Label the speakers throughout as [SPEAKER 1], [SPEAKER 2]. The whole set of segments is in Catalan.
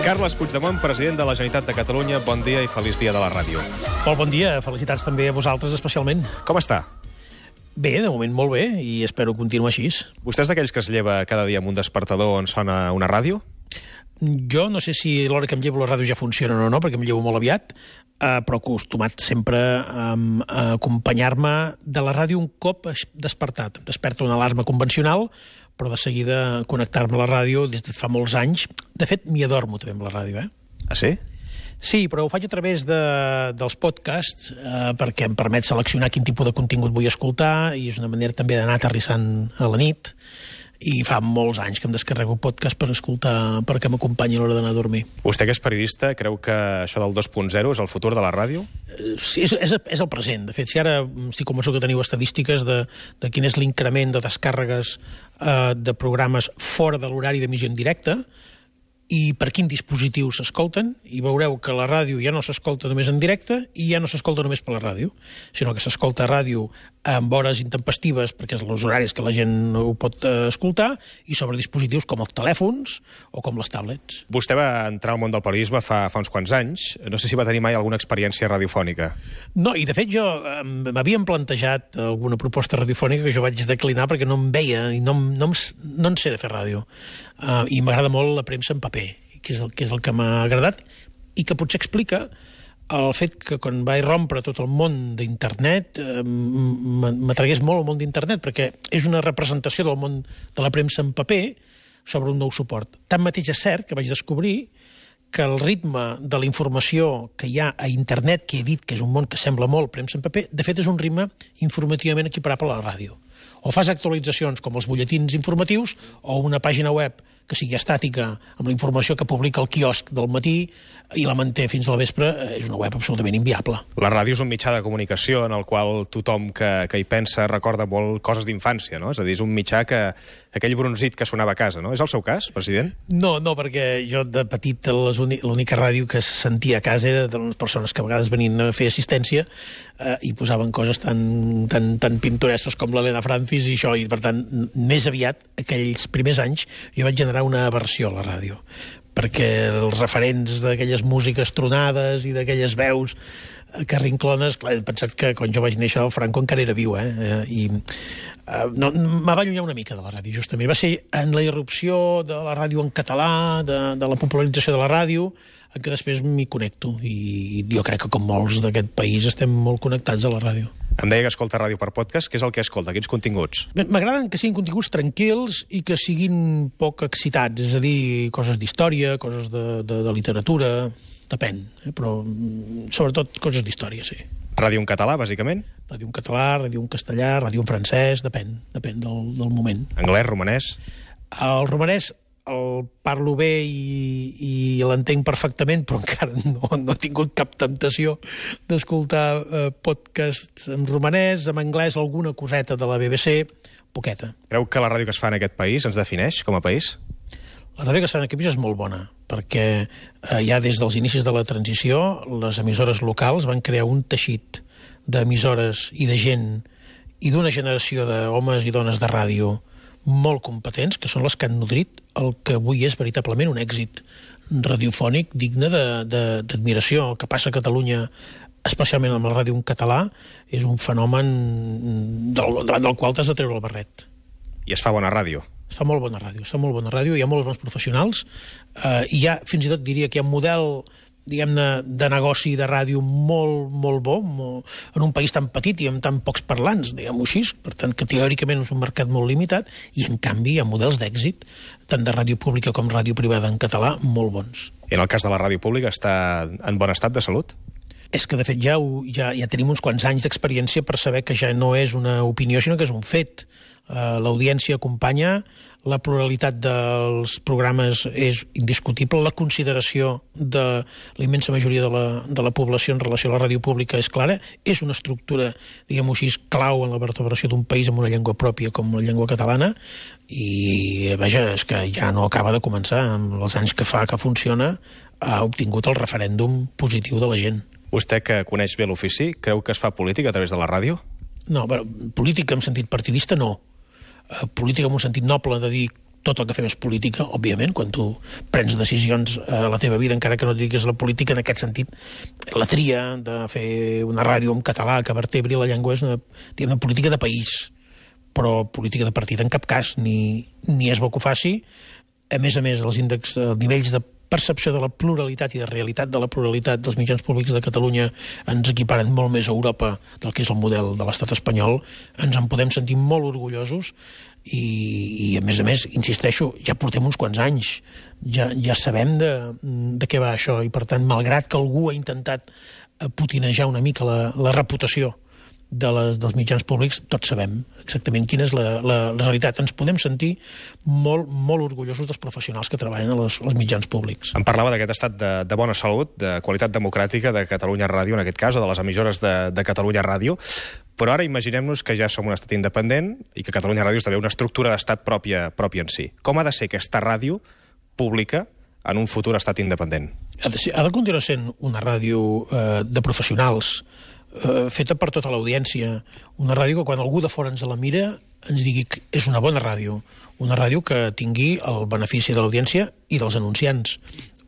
[SPEAKER 1] Carles Puigdemont, president de la Generalitat de Catalunya, bon dia i feliç dia de la ràdio.
[SPEAKER 2] Molt bon dia, felicitats també a vosaltres especialment.
[SPEAKER 1] Com està?
[SPEAKER 2] Bé, de moment molt bé, i espero continuar així.
[SPEAKER 1] Vostè és d'aquells que es lleva cada dia amb un despertador on sona una ràdio?
[SPEAKER 2] Jo no sé si l'hora que em llevo la ràdio ja funciona o no, perquè em llevo molt aviat, però acostumat sempre a acompanyar-me de la ràdio un cop despertat. Em desperta una alarma convencional, però de seguida connectar-me a la ràdio des de fa molts anys. De fet, m'hi adormo també amb la ràdio,
[SPEAKER 1] Ah, sí?
[SPEAKER 2] Sí, però ho faig a través dels podcasts perquè em permet seleccionar quin tipus de contingut vull escoltar i és una manera també d'anar aterrissant a la nit. I fa molts anys que em descarrego podcast per escoltar, perquè m'acompanyi a l'hora d'anar a dormir.
[SPEAKER 1] Vostè, que és periodista, creu que això del 2.0 és el futur de la ràdio?
[SPEAKER 2] Sí, és el present. De fet, si ara estic convençut que teniu estadístiques de quin és l'increment de descàrregues de programes fora de l'horari d'emissió en directe i per quin dispositiu s'escolten, i veureu que la ràdio ja no s'escolta només en directe i ja no s'escolta només per la ràdio, sinó que s'escolta ràdio amb hores intempestives, perquè és els horaris que la gent no ho pot escoltar, i sobre dispositius com els telèfons o com les tablets.
[SPEAKER 1] Vostè va entrar al món del periodisme fa uns quants anys. No sé si va tenir mai alguna experiència radiofònica.
[SPEAKER 2] No, i de fet jo m'havien plantejat alguna proposta radiofònica que jo vaig declinar perquè no em veia i no en sé de fer ràdio. I m'agrada molt la premsa en paper, que és el que m'ha agradat, i que potser explica el fet que quan vaig rompre tot el món d'internet m'atragués molt el món d'internet, perquè és una representació del món de la premsa en paper sobre un nou suport. Tanmateix és cert que vaig descobrir que el ritme de la informació que hi ha a internet, que he dit que és un món que sembla molt premsa en paper, de fet és un ritme informativament equiparable a la ràdio. O fas actualitzacions com els butlletins informatius o una pàgina web que sigui estàtica amb la informació que publica el quiosc del matí i la manté fins a la vespre, és una web absolutament inviable.
[SPEAKER 1] La ràdio és un mitjà de comunicació en el qual tothom que hi pensa recorda molt coses d'infància, no? És a dir, és un mitjà que aquell bronzit que sonava a casa, no? És el seu cas, president?
[SPEAKER 2] No, perquè jo de petit l'única ràdio que sentia a casa era de les persones que a vegades venien a fer assistència i posaven coses tan pintoresques com l'Helena Francis i això, i per tant, més aviat, aquells primers anys, jo vaig generar una aversió a la ràdio, perquè els referents d'aquelles músiques tronades i d'aquelles veus carrinclones, clar, he pensat que quan jo vaig néixer el Franco encara era viu, i me va allunyar una mica de la ràdio, justament. Va ser en la irrupció de la ràdio en català, de la popularització de la ràdio, que després m'hi connecto, i jo crec que com molts d'aquest país estem molt connectats a la ràdio.
[SPEAKER 1] Em deia que escolta ràdio per podcast. Què és el que escolta? Quins continguts?
[SPEAKER 2] M'agraden que siguin continguts tranquils i que siguin poc excitats, és a dir, coses d'història, coses de literatura, depèn, però sobretot coses d'història, sí.
[SPEAKER 1] Ràdio en català, bàsicament?
[SPEAKER 2] Ràdio en català, ràdio en castellà, ràdio en francès, depèn del moment.
[SPEAKER 1] Anglès, romanès?
[SPEAKER 2] El romanès el parlo bé i l'entenc perfectament, però encara no he tingut cap temptació d'escoltar podcasts en romanès, en anglès, alguna coseta de la BBC, poqueta.
[SPEAKER 1] Creu que la ràdio que es fa en aquest país ens defineix com a país?
[SPEAKER 2] La ràdio que es fa en aquest país és molt bona, perquè ja des dels inicis de la transició les emissores locals van crear un teixit d'emissores i de gent i d'una generació d'homes i dones de ràdio molt competents, que són les que han nodrit el que avui és veritablement un èxit radiofònic digne d'admiració. El que passa a Catalunya, especialment amb la ràdio en català, és un fenomen davant del qual t'has de treure el barret.
[SPEAKER 1] I es fa bona ràdio?
[SPEAKER 2] Es fa molt bona ràdio, hi ha molts bons professionals, i ja fins i tot diria que hi ha un model, diguem-ne, de negoci de ràdio molt bo, en un país tan petit i amb tan pocs parlants, diguem-ho així, per tant que teòricament és un mercat molt limitat, i en canvi hi ha models d'èxit, tant de ràdio pública com ràdio privada en català, molt bons.
[SPEAKER 1] I en el cas de la ràdio pública està en bon estat de salut?
[SPEAKER 2] És que, de fet, ja tenim uns quants anys d'experiència per saber que ja no és una opinió, sinó que és un fet. L'audiència acompanya, la pluralitat dels programes és indiscutible, la consideració de la immensa majoria de la població en relació a la ràdio pública és clara, és una estructura, diguem-ho així, clau en la vertebració d'un país amb una llengua pròpia com la llengua catalana, i, vaja, és que ja no acaba de començar. Amb els anys que fa que funciona, ha obtingut el referèndum positiu de la gent.
[SPEAKER 1] Vostè, que coneix bé l'ofici, creu que es fa política a través de la ràdio?
[SPEAKER 2] No, però política en sentit partidista no. Política en un sentit noble, de dir tot el que fem és política, òbviament, quan tu prens decisions a la teva vida, encara que no diguis la política, en aquest sentit, la tria de fer una ràdio en català que vertebri la llengua és una política de país, però política de partit en cap cas, ni és bo que ho faci. A més, els nivells de percepció de la pluralitat i de realitat de la pluralitat dels mitjans públics de Catalunya ens equiparen molt més a Europa del que és el model de l'estat espanyol. Ens en podem sentir molt orgullosos i a més, insisteixo, ja portem uns quants anys, ja sabem de què va això i, per tant, malgrat que algú ha intentat potinejar una mica la reputació dels mitjans públics, tots sabem exactament quina és la realitat. Ens podem sentir molt, molt orgullosos dels professionals que treballen als mitjans públics.
[SPEAKER 1] Em parlava d'aquest estat de bona salut, de qualitat democràtica de Catalunya Ràdio, en aquest cas, o de les emissores de Catalunya Ràdio, però ara imaginem-nos que ja som un estat independent i que Catalunya Ràdio esdevé una estructura d'estat pròpia en si. Com ha de ser aquesta ràdio pública en un futur estat independent?
[SPEAKER 2] Ha de continuar sent una ràdio de professionals, feta per tota l'audiència, una ràdio que quan algú de fora ens la mira ens digui que és una bona ràdio, una ràdio que tingui el benefici de l'audiència i dels anunciants,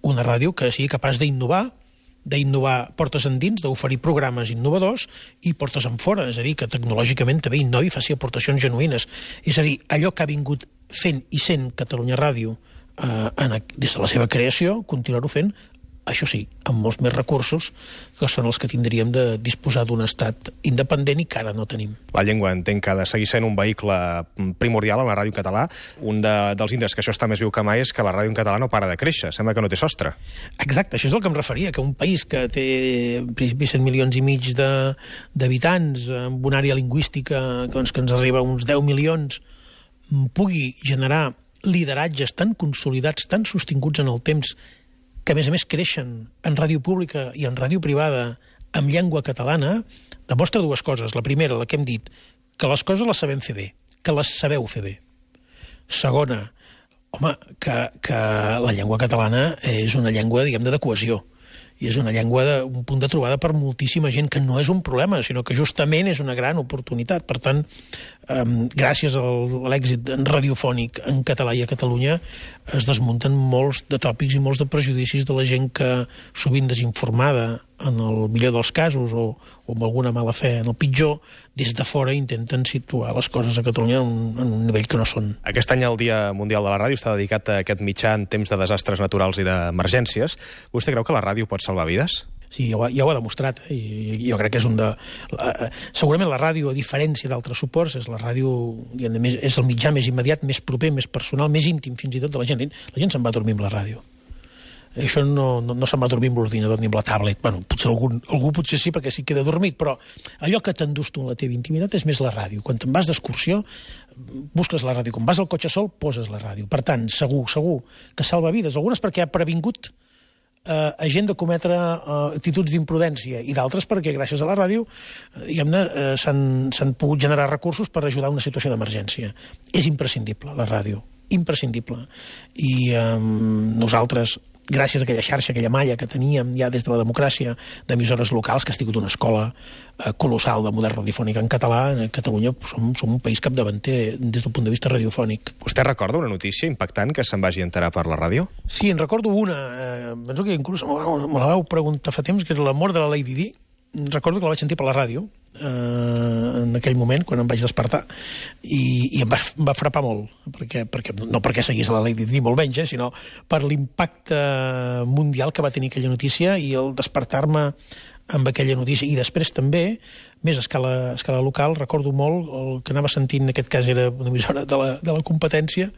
[SPEAKER 2] una ràdio que sigui capaç d'innovar portes endins, d'oferir programes innovadors i portes en fora, és a dir, que tecnològicament també innovi i faci aportacions genuïnes. És a dir, allò que ha vingut fent i sent Catalunya Ràdio des de la seva creació, continuar-ho fent, això sí, amb molts més recursos que són els que tindríem de disposar d'un estat independent i que ara no tenim.
[SPEAKER 1] La llengua entenc que ha de seguir sent un vehicle primordial en la ràdio en català. Un dels índexs que això està més viu que mai és que la ràdio en català no para de créixer, sembla que no té sostre.
[SPEAKER 2] Exacte, això és el que em referia, que un país que té 7 milions i mig d'habitants, amb una àrea lingüística que ens arriba a uns 10 milions, pugui generar lideratges tan consolidats, tan sostinguts en el temps, que a més creixen en ràdio pública i en ràdio privada amb llengua catalana, demostra dues coses. La primera, la que hem dit, que les coses les sabem fer bé, que les sabeu fer bé. Segona, home, que la llengua catalana és una llengua, diguem-ne, de cohesió. I és una llengua, un punt de trobada per moltíssima gent, que no és un problema, sinó que justament és una gran oportunitat. Per tant, gràcies a l'èxit radiofònic en català i a Catalunya es desmunten molts de tòpics i molts de prejudicis de la gent que, sovint desinformada, en el millor dels casos, o amb alguna mala fe en el pitjor, des de fora intenten situar les coses a Catalunya en un nivell que no són.
[SPEAKER 1] Aquest any el Dia Mundial de la Ràdio està dedicat a aquest mitjà en temps de desastres naturals i d'emergències. Vostè creu que la ràdio pot salvar vides?
[SPEAKER 2] Sí, ja ho ha demostrat, i jo crec que és segurament la ràdio, a diferència d'altres suports, és la ràdio, és el mitjà més immediat, més proper, més personal, més íntim fins i tot de la gent. La gent se'n va dormir amb la ràdio. Això no se'n va dormir amb l'ordinador ni amb la tablet. Bueno, potser algú potser sí, perquè sí queda dormit, però allò que t'endús tu en la teva intimitat és més la ràdio. Quan te'n vas d'excursió, busques la ràdio. Quan vas al cotxe sol, poses la ràdio. Per tant, segur que salva vides. Algunes perquè ha previngut a gent de cometre actituds d'imprudència i d'altres perquè gràcies a la ràdio diguem-ne s'han pogut generar recursos per ajudar a una situació d'emergència. És imprescindible la ràdio, imprescindible. I nosaltres, gràcies a aquella xarxa, aquella malla que teníem ja des de la democràcia d'emissores locals, que ha sigut una escola colossal de model radiofònic en català, a Catalunya som un país capdavanter des del punt de vista radiofònic.
[SPEAKER 1] Vostè recorda una notícia impactant que se'n vagi enterar per la ràdio?
[SPEAKER 2] Sí, en recordo una, penso que inclús me la vau preguntar fa temps, que és la mort de la Lady Di. Recordo que la vaig sentir per la ràdio en aquell moment, quan em vaig despertar, i em va frapar molt, no perquè seguís la Lady Di, molt menys, sinó per l'impacte mundial que va tenir aquella notícia i el despertar-me amb aquella notícia. I després també, més a escala local, recordo molt el que anava sentint, en aquest cas era una emissora de la competència,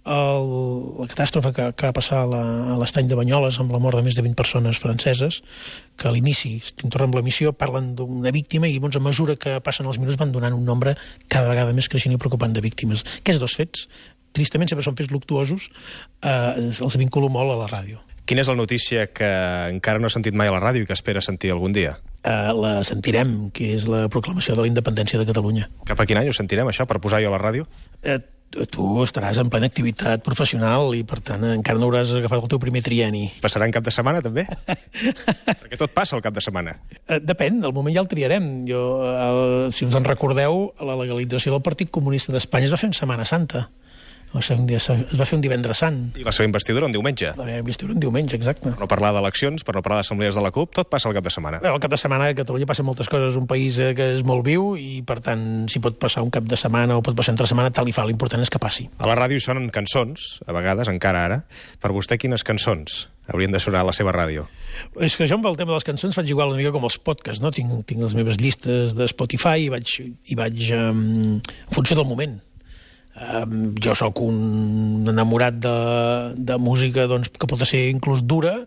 [SPEAKER 2] la catàstrofe que va passar a l'estany de Banyoles amb la mort de més de 20 persones franceses, que a l'inici, tornem amb l'emissió, parlen d'una víctima i a mesura que passen els minuts van donant un nombre cada vegada més creixent i preocupant de víctimes. Aquests dos fets, tristament sempre són fets luctuosos, els vinculo molt a la ràdio.
[SPEAKER 1] Quina és la notícia que encara no ha sentit mai a la ràdio i que espera sentir algun dia?
[SPEAKER 2] La sentirem, que és la proclamació de la independència de Catalunya.
[SPEAKER 1] Cap a quin any ho sentirem, això, per posar-ho a la ràdio?
[SPEAKER 2] Tu estaràs en plena activitat professional i, per tant, encara no hauràs agafat el teu primer trienni.
[SPEAKER 1] Passarà en cap de setmana, també? Perquè tot passa al cap de setmana.
[SPEAKER 2] Depèn, al moment ja el triarem. Si us en recordeu, la legalització del Partit Comunista d'Espanya es va fer en Setmana Santa. Es va fer un divendres sant.
[SPEAKER 1] I la seva investidura un diumenge.
[SPEAKER 2] La meva investidura un diumenge, exacte.
[SPEAKER 1] Per no parlar d'eleccions, per no parlar d'assemblees de la CUP, tot passa al cap de setmana.
[SPEAKER 2] Al cap de setmana a Catalunya passen moltes coses, un país que és molt viu i, per tant, si pot passar un cap de setmana o pot passar entre setmana, tal i fa, l'important és que passi.
[SPEAKER 1] A la ràdio sonen cançons, a vegades, encara ara. Per vostè, quines cançons haurien de sonar a la seva ràdio?
[SPEAKER 2] És que jo amb el tema de les cançons faig igual una mica com els podcasts, no? Tinc les meves llistes de Spotify i vaig en funció del moment. Jo sóc un enamorat de música doncs, que pot ser inclús dura,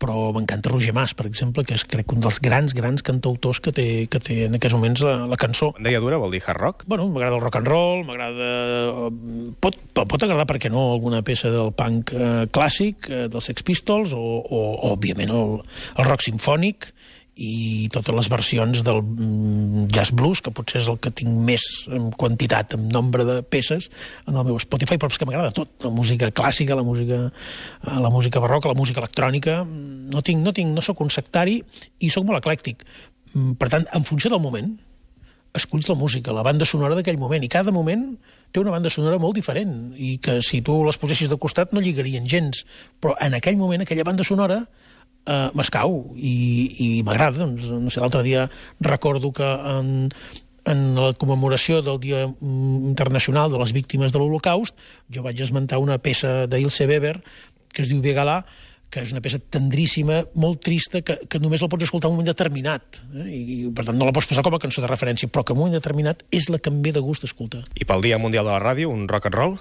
[SPEAKER 2] però m'encanta Roger Mas, per exemple, que és, crec, un dels grans cantautors que té en aquests moments la cançó.
[SPEAKER 1] Quan deia dura vol dir hard rock?
[SPEAKER 2] Bueno, m'agrada el rock and roll, m'agrada... Pot agradar, per què no, alguna peça del punk clàssic, dels Sex Pistols, o òbviament, el rock simfònic, i totes les versions del jazz blues, que potser és el que tinc més en quantitat, en nombre de peces en el meu Spotify, però és que m'agrada tot, la música clàssica, la música barroca, la música electrònica. No sóc un sectari i sóc molt eclèctic. Per tant, en funció del moment esculls la música, la banda sonora d'aquell moment, i cada moment té una banda sonora molt diferent, i que si tu les posessis de costat no lligarien gens, però en aquell moment aquella banda sonora m'escau i m'agrada. Doncs, no sé, l'altre dia recordo que en la commemoració del Dia Internacional de les Víctimes de l'Holocaust jo vaig esmentar una peça d'Ilse Weber que es diu Vegalà, que és una peça tendríssima, molt trista, que només la pots escoltar en un moment determinat, i per tant no la pots posar com a cançó de referència, però que en un moment determinat és la que em ve de gust escoltar.
[SPEAKER 1] I pel Dia Mundial de la Ràdio, un rock and roll?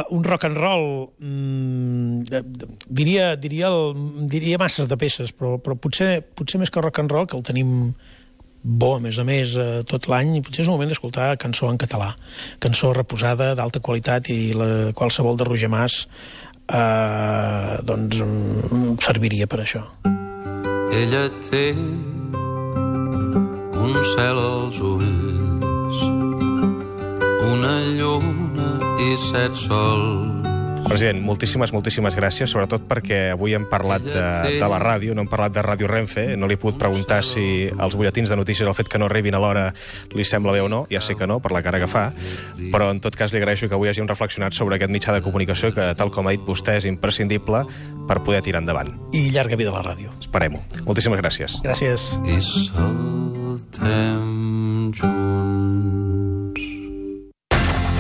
[SPEAKER 2] Un rock and roll diria masses de peces, però potser més que rock and roll, que el tenim bo, a més tot l'any, i potser és un moment d'escoltar cançó en català, cançó reposada, d'alta qualitat, i qualsevol de Roger Mas doncs serviria per això.
[SPEAKER 3] Ella té un cel als ulls, una lluna i 7 sols.
[SPEAKER 1] President, moltíssimes gràcies, sobretot perquè avui hem parlat de la ràdio, no hem parlat de Ràdio Renfe, no li he pogut preguntar si els butlletins de notícies, el fet que no arribin a l'hora, li sembla bé o no, ja sé que no, per la cara que fa, però en tot cas li agraeixo que avui hagin reflexionat sobre aquest mitjà de comunicació que, tal com ha dit vostè, és imprescindible per poder tirar endavant.
[SPEAKER 2] I llarga vida a la ràdio.
[SPEAKER 1] Esperem-ho. Moltíssimes gràcies.
[SPEAKER 2] Gràcies.
[SPEAKER 3] I saltem junts.